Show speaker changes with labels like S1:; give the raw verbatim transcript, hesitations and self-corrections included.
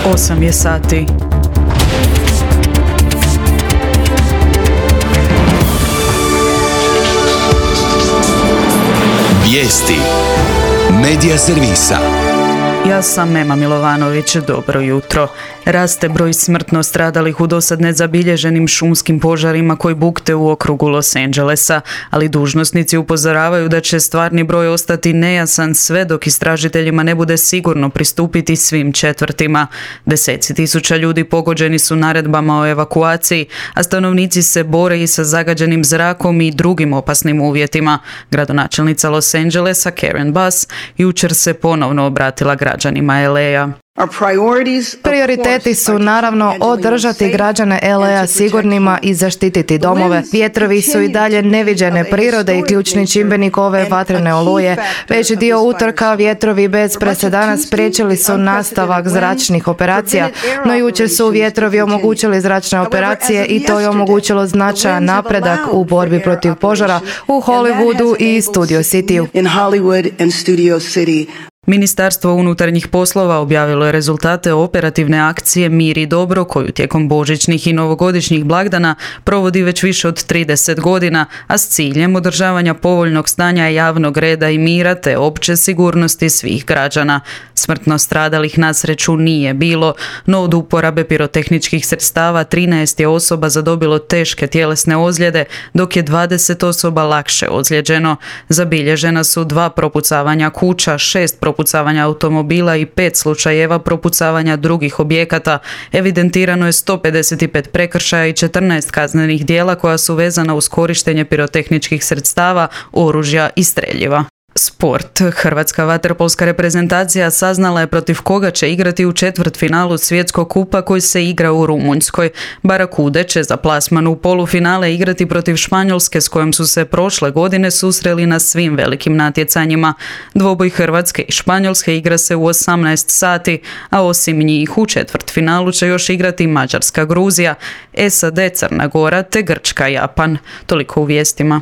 S1: Osam je sati.
S2: Vijesti Medija servisa.
S1: Ja sam Ema Milovanović, dobro jutro. Raste broj smrtno stradalih u dosad nezabilježenim šumskim požarima koji bukte u okrugu Los Angelesa, ali dužnosnici upozoravaju da će stvarni broj ostati nejasan sve dok istražiteljima ne bude sigurno pristupiti svim četvrtima. Deseci tisuća ljudi pogođeni su naredbama o evakuaciji, a stanovnici se bore i sa zagađenim zrakom i drugim opasnim uvjetima. Gradonačelnica Los Angelesa Karen Bass jučer se ponovno obratila građanima L A.
S3: Prioriteti su naravno održati građane L A sigurnima i zaštititi domove. Vjetrovi su i dalje neviđene prirode i ključni čimbenik ove vatrene oluje. Veći dio utorka vjetrovi bez presedana spriječili su nastavak zračnih operacija, no jučer su vjetrovi omogućili zračne operacije i to je omogućilo značajan napredak u borbi protiv požara u Hollywoodu i Studio Cityu.
S1: Ministarstvo unutarnjih poslova objavilo je rezultate operativne akcije Mir i dobro koju tijekom božićnih i novogodišnjih blagdana provodi već više od trideset godina, a s ciljem održavanja povoljnog stanja javnog reda i mira te opće sigurnosti svih građana. Smrtno stradalih na sreću nije bilo, no od uporabe pirotehničkih sredstava trinaest je osoba zadobilo teške tjelesne ozljede, dok je dvadeset osoba lakše ozlijeđeno. Zabilježena su dva propucavanja kuća, šest propucavanja automobila i pet slučajeva propucavanja drugih objekata. Evidentirano je sto pedeset pet prekršaja i četrnaest kaznenih djela koja su vezana uz korištenje pirotehničkih sredstava, oružja i streljiva. Sport. Hrvatska vaterpolska reprezentacija saznala je protiv koga će igrati u četvrtfinalu svjetskog kupa koji se igra u Rumunjskoj. Barakude će za plasman u polufinale igrati protiv Španjolske s kojom su se prošle godine susreli na svim velikim natjecanjima. Dvoboj Hrvatske i Španjolske igra se u osamnaest sati, a osim njih u četvrtfinalu će još igrati Mađarska, Gruzija, S A D, Crna Gora te Grčka, Japan. Toliko u vijestima.